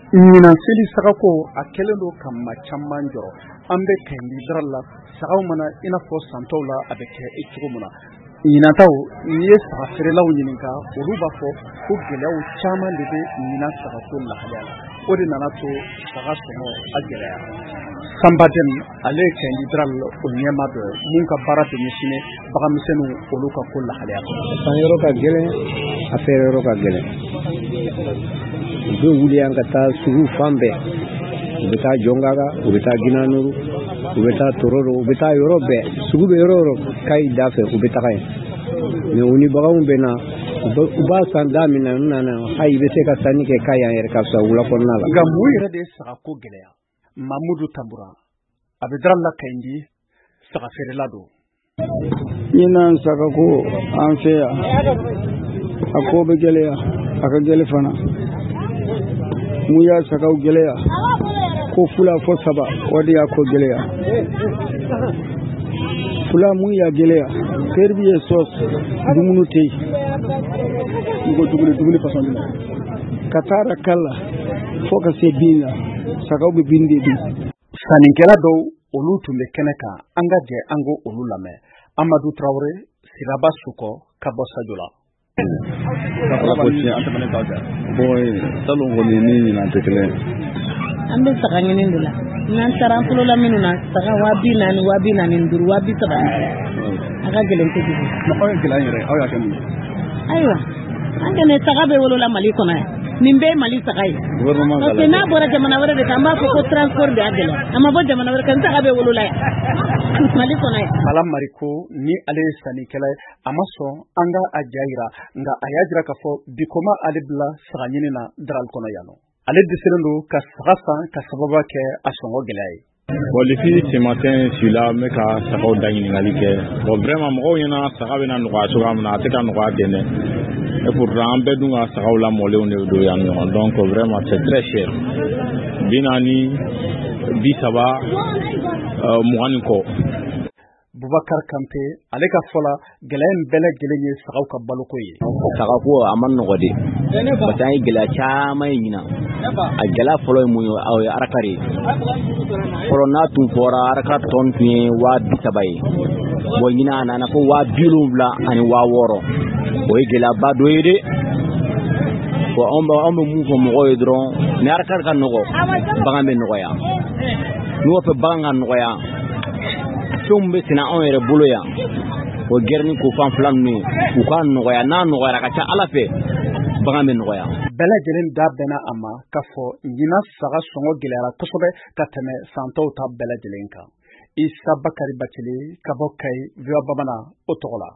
Ɲinan seli sagako a kɛlen don ka maa caman jɔrɔ. An bɛ Kayindi Daral la, sagaw mana i n'a fɔ santɔw la a bɛ kɛ cogo min na. Ɲinantaw, n'i ye saga feerelaw ɲininka, olu b'a fɔ ko gɛlɛyaw caman de bɛ ɲinan sagako lahalaya la. O de nana to saga sɔngɔ a gɛlɛyara. Sanba Dɛm, ale ye Kayindi Daral o ɲɛmaa dɔ ye mun ka baara bɛ ɲɛsinnen baganmisɛnninw olu ka ko lahalaya ma. San yɔrɔ ka gɛlɛn, a feere yɔrɔ ka gɛlɛn. U bɛ wuli yan ka taa sugu fan bɛɛ, u bɛ taa Jɔnkaga, u bɛ taa Ginanuru, u bɛ taa Tororo, u bɛ taa yɔrɔ bɛɛ, sugu bɛ yɔrɔ yɔrɔ Kayi da fɛ, u bɛ taga yen. Mais u ni baganw bɛ na, u b'a san da min na, n nana hali i bɛ se ka sanni kɛ Kayi yan yɛrɛ ka fisa wula kɔnɔna la. Nka mun yɛrɛ de ye sagako gɛlɛya? Mamudu Tambura, a bɛ Daral la Kayindi, saga feerela don. Ɲinan sagako an fɛ yan, a ko bɛ gɛlɛya, a ka gɛlɛn fana. Mun y'a sagaw gɛlɛya? Ko fila fo saba, o de y'a ko gɛlɛya. Fila mun y'a gɛlɛya? Ferbi ye sos, dumuni tɛ yen. I ko dumuni, dumuni fasɔn jumɛn? Ka taa kala fo ka se bin la, sagaw bɛ bin de dun. Sannikɛla dɔw olu tun bɛ kɛnɛ kan, an ka jɛ an ko olu lamɛn. Amadu Tarawele, Siraba Sukɔ ka bɔ Sajola. Ala ko tiɲɛ, an tɛmɛnen k'a kan. Bon, salon kɔni ni ɲinan tɛ kelen. An bɛ saga ɲini de la. N'an taara an tulola minnu na, saga 40,000, 45,000, 30,000. A ka gɛlɛn kojugu. Aw ye gɛlɛya yɛrɛ, aw y'a kɛ mun ye? Ayiwa, an kɛnɛ saga bɛ wolola Mali kɔnɔ yan. Nin bɛɛ ye Mali saga ye. Parce que n'a bɔra jamana wɛrɛ de kan, an b'a fɔ ko transport de y'a gɛlɛya. A ma bɔ jamana wɛrɛ kan, saga bɛ wolola yan. Mali kɔnɔ yan. Bala Mariko, ni ale ye sannikɛla ye, a ma sɔn an ka a ja yira, nka a y'a jira k'a fɔ bi ko ma ale bila saga ɲini na Daral kɔnɔ yan nɔ. Ale dɛsɛlen don ka saga san ka sababu kɛ a sɔngɔ gɛlɛya ye. Bon, depuis ce matin, je suis là, n bɛ ka sagaw da ɲininkali kɛ. Bon, vraiment, mɔgɔw ɲɛna saga bɛna nɔgɔya cogoya min na, a tɛ ka nɔgɔya ten dɛ. Et pourtant, an bɛɛ dun ka sagaw lamɔlenw de don yan ɲɔgɔn. Donc, vraiment, c'est très cher. 40, 30, 20 ni kɔ. Bubakar Kante, ale ka fɔ la, gɛlɛya in bɛɛ lajɛlen ye sagaw ka baloko ye. Sagako a ma nɔgɔ de, parce que an ye gɛlɛya caman ye ɲinan. A gɛlɛya fɔlɔ ye mun ye? O ye araka de ye. Fɔlɔ n'a tun fɔra araka tɔn tun ye 30,000 ye. Bon, ɲinan a nana fo 70,000 ani 60,000. O ye gɛlɛyaba dɔ ye dɛ. Bon, anw bɛ mun fɔ mɔgɔw ye dɔrɔn, ni araka ka nɔgɔ, bagan bɛ nɔgɔya. N'u b'a fɛ bagan ka nɔgɔya, fɛnw bɛ sɛnɛ anw yɛrɛ bolo yan, o gɛrɛni ko fan fila ninnu ye, u k'a nɔgɔya. N'a nɔgɔyara, ka ca Ala fɛ, bagan bɛ nɔgɔya. Bɛɛ lajɛlen da bɛnna a ma k'a fɔ ɲinan saga sɔngɔ gɛlɛyara kosɛbɛ ka tɛmɛ san tɔw ta bɛɛ lajɛlen kan. Isa Bakari Bacili ka bɔ Kayi, VOA Bamanan o tɔgɔ la.